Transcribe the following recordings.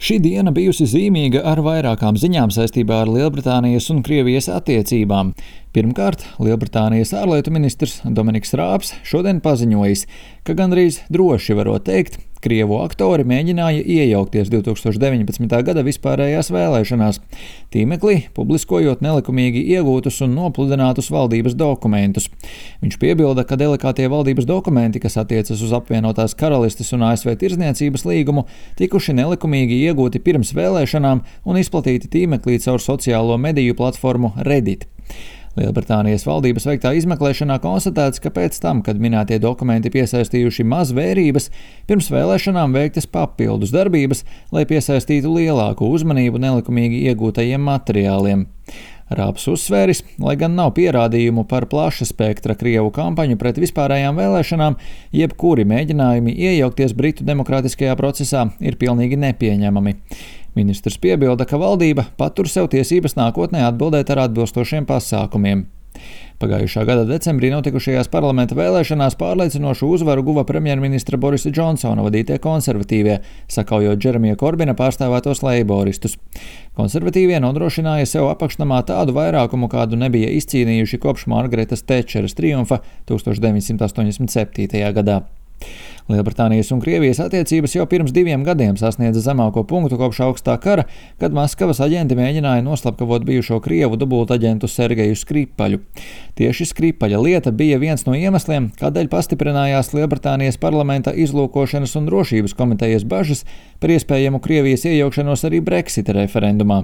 Šī diena bijusi zīmīga ar vairākām ziņām saistībā ar Lielbritānijas un Krievijas attiecībām. Pirmkārt, Lielbritānijas ārlietu ministrs Dominiks Rābs šodien paziņojis, ka gandrīz droši varot teikt, Krievu aktori mēģināja iejaukties 2019. gada vispārējās vēlēšanās, tīmeklī publiskojot nelikumīgi iegūtus un nopludinātus valdības dokumentus. Viņš piebilda, ka delikātie valdības dokumenti, kas attiecas uz apvienotās Karalistes un ASV tirdzniecības līgumu, tikuši nelikumīgi iegūti pirms vēlēšanām un izplatīti tīmeklī caur sociālo mediju platformu Reddit. Lielbritānijas valdības veiktā izmeklēšanā konstatēts, ka pēc tam, kad minētie dokumenti piesaistījuši maz vērības, pirms vēlēšanām veiktas papildus darbības, lai piesaistītu lielāku uzmanību nelikumīgi iegūtajiem materiāliem. Rābs uzsvēris, lai gan nav pierādījumu par plaša spektra Krievu kampaņu pret vispārējām vēlēšanām, jebkuri mēģinājumi iejaukties Britu demokrātiskajā procesā ir pilnīgi nepieņemami. Ministrs piebilda, ka valdība patur sev tiesības nākotnē atbildēt ar atbilstošiem pasākumiem. Pagājušā gada decembrī notikušajās parlamenta vēlēšanās pārliecinošu uzvaru guva premjerministra Borisa Džonsona vadītie konservatīvie, sakaujot Džeremija Korbina pārstāvētos leiboristus. Konservatīvie nodrošināja sev apakšnamā tādu vairākumu, kādu nebija izcīnījuši kopš Margaretas Tečeras triumfa 1987. gadā. Lielbritānijas un Krievijas attiecības jau pirms 2 gadiem sasniedza zemāko punktu kopš augstā kara, kad Maskavas aģenti mēģināja noslapkavot bijušo Krievu dubultaģentu Sergeju Skripaļu. Tieši Skripaļa lieta bija viens no iemesliem, kādēļ pastiprinājās Lielbritānijas parlamenta izlūkošanas un drošības komitejas bažas par iespējamu Krievijas iejaukšanos arī Brexita referendumā.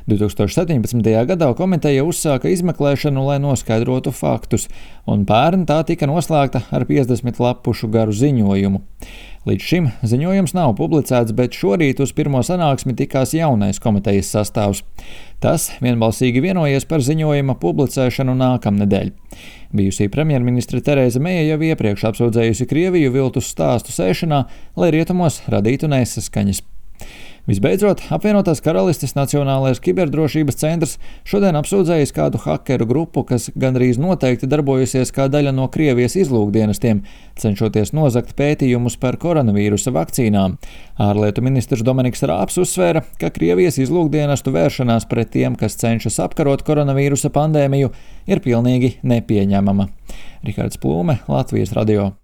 2017. gadā komiteja uzsāka izmeklēšanu, lai noskaidrotu faktus, un pērn tā tika noslēgta ar 50 lapušu garu ziņojumu. Līdz šim ziņojums nav publicēts, bet šorīt uz pirmo sanāksmi tikās jaunais komitejas sastāvs. Tas vienbalsīgi vienojies par ziņojuma publicēšanu nākamnedēļ. Bijusī premjerministre Tereza Meija jau iepriekš apsūdzējusi Krieviju viltus stāstu sēšanā, lai rietumos radītu nesaskaņas. Visbeidzot, apvienotās Karalistes Nacionālais kiberdrošības centrs šodien apsūdzējis kādu hakeru grupu, kas gandrīz noteikti darbojusies kā daļa no Krievijas izlūkdienestiem, cenšoties nozagt pētījumus par koronavīrusa vakcīnām. Ārlietu ministrs Dominiks Rābs uzsvēra, ka Krievijas izlūkdienestu vēršanās pret tiem, kas cenšas apkarot koronavīrusa pandēmiju, ir pilnīgi nepieņemama. Rihards Plūme, Latvijas radio.